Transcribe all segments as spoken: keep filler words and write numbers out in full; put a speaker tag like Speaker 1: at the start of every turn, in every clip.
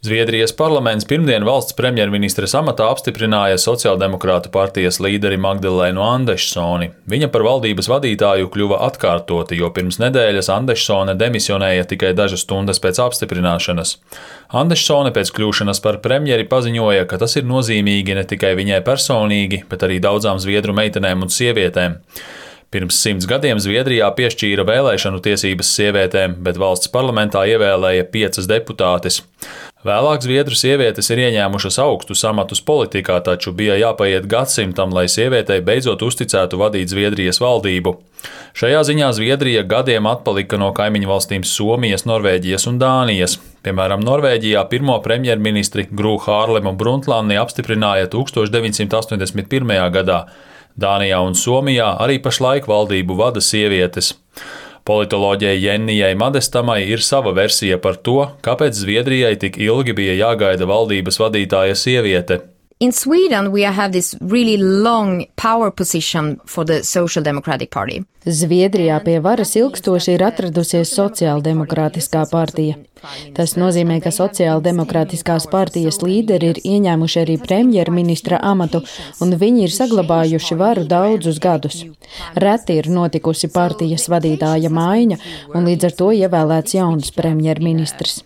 Speaker 1: Zviedrijas parlaments pirmdien valsts premjerministres amatā apstiprināja sociāldemokrātu partijas līderi Magdalēnu Andešsoni. Viņa par valdības vadītāju kļuva atkārtoti, jo pirms nedēļas Andešsone demisionēja tikai dažas stundas pēc apstiprināšanas. Andešsone pēc kļūšanas par premjeri paziņoja, ka tas ir nozīmīgi ne tikai viņai personīgi, bet arī daudzām zviedru meitenēm un sievietēm. Pirms simts gadiem Zviedrijā piešķīra vēlēšanu tiesības sievietēm, bet valsts parlamentā ievēlēja piecas deputātes. Vēlāk zviedru sievietes ir ieņēmušas augstus amatus politikā, taču bija jāpaiet gadsimtam, lai sievietei beidzot uzticētu vadīt Zviedrijas valdību. Šajā ziņā Zviedrija gadiem atpalika no kaimiņu valstīm Somijas, Norvēģijas un Dānijas. Piemēram, Norvēģijā pirmo premjerministri Gru Harlemu Brundtlandi apstiprināja tūkstoš deviņsimt astoņdesmit pirmajā gadā. Dānijā un Somijā arī pašlaik valdību vada sievietes. Politoloģijai Jennijai Madestamai ir sava versija par to, kāpēc Zviedrijai tik ilgi bija jāgaida valdības vadītāja sieviete.
Speaker 2: In Sweden, we have this really long power position for the Social Democratic Party.
Speaker 3: Zviedrijā pie varas ilgstoši ir atradusies Sociāldemokrātiskā partija. Tas nozīmē, ka Sociāldemokrātiskās partijas līderi ir ieņēmuši arī premjerministra amatu, un viņi ir saglabājuši varu daudzus gadus. Reti ir notikusi partijas vadītāja maiņa, un līdz ar to ievēlēts jauns premjerministrs.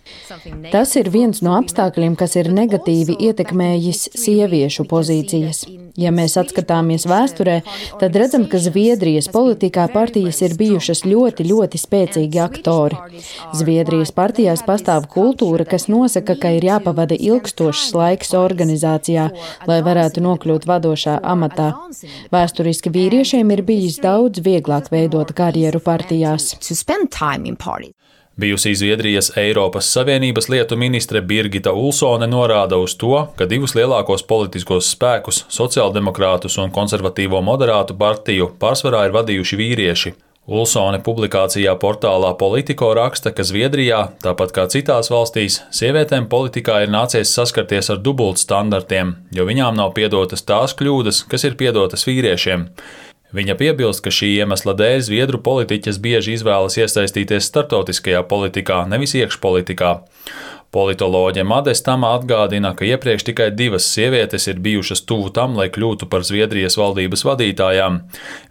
Speaker 3: Tas ir viens no apstākļiem, kas ir negatīvi ietekmējis sieviešu pozīcijas. Ja mēs atskatāmies vēsturē, tad redzam, ka Zviedrijas politikā partijas ir bijušas ļoti, ļoti spēcīgi aktori. Zviedrijas partijās pastāv kultūra, kas nosaka, ka ir jāpavada ilgstošs laiks organizācijā, lai varētu nokļūt vadošā amatā. Vēsturiski vīriešiem ir bijis daudz vieglāk veidot karjeru partijās.
Speaker 1: Bijusī Zviedrijas Eiropas Savienības lietu ministre Birgita Ulsone norāda uz to, ka divus lielākos politiskos spēkus, sociāldemokrātus un konservatīvo moderātu partiju, pārsvarā ir vadījuši vīrieši. Ulsone publikācijā portālā Politico raksta, ka Zviedrijā, tāpat kā citās valstīs, sievietēm politikā ir nācies saskarties ar dubultstandartiem, jo viņām nav piedotas tās kļūdas, kas ir piedotas vīriešiem. Viņa piebilst, ka šī iemesla dēļ zviedru politiķes bieži izvēlas iesaistīties starptautiskajā politikā, nevis iekšpolitikā. Politoloģe Madestama atgādina, ka iepriekš tikai divas sievietes ir bijušas tuvu tam, lai kļūtu par Zviedrijas valdības vadītājām.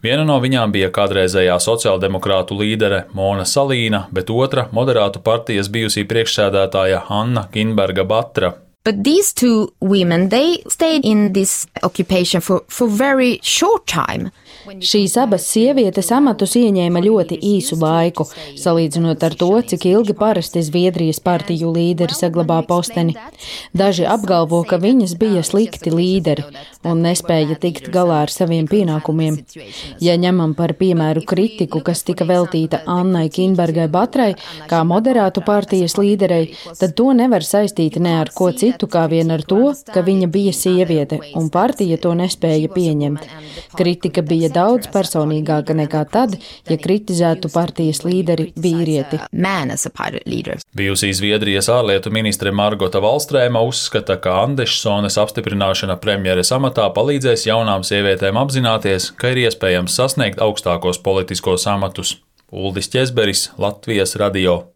Speaker 1: Viena no viņām bija kādreizējā sociāldemokrātu līdere Mona Salīna, bet otra moderātu partijas bijusī priekšsēdētāja Anna Kinberga Batra.
Speaker 2: But these two women, they stayed in this occupation for, for very short time.
Speaker 3: Šīs abas sievietes amatus ieņēma ļoti īsu laiku, salīdzinot ar to, cik ilgi parasti Zviedrijas partiju līderi saglabā posteni. Daži apgalvo, ka viņas bija slikti līderi un nespēja tikt galā ar saviem pienākumiem. Ja ņemam par piemēru kritiku, kas tika veltīta Annai Kinbergai Batrai, kā moderātu partijas līderei, tad to nevar saistīt ne ar ko citu, kā vien ar to, ka viņa bija sieviete, un partija to nespēja pieņemt. Kritika bija daudz personīgāka nekā tad, ja kritizētu partijas līderi vīrieti.
Speaker 1: Bijusī Zviedrijas ārlietu ministre Margota Valstrēma uzskata, ka Andešsones apstiprināšana premjeres amatā palīdzēs jaunām sievietēm apzināties, ka ir iespējams sasniegt augstākos politiskos amatus. Uldis Ķezberis, Latvijas radio.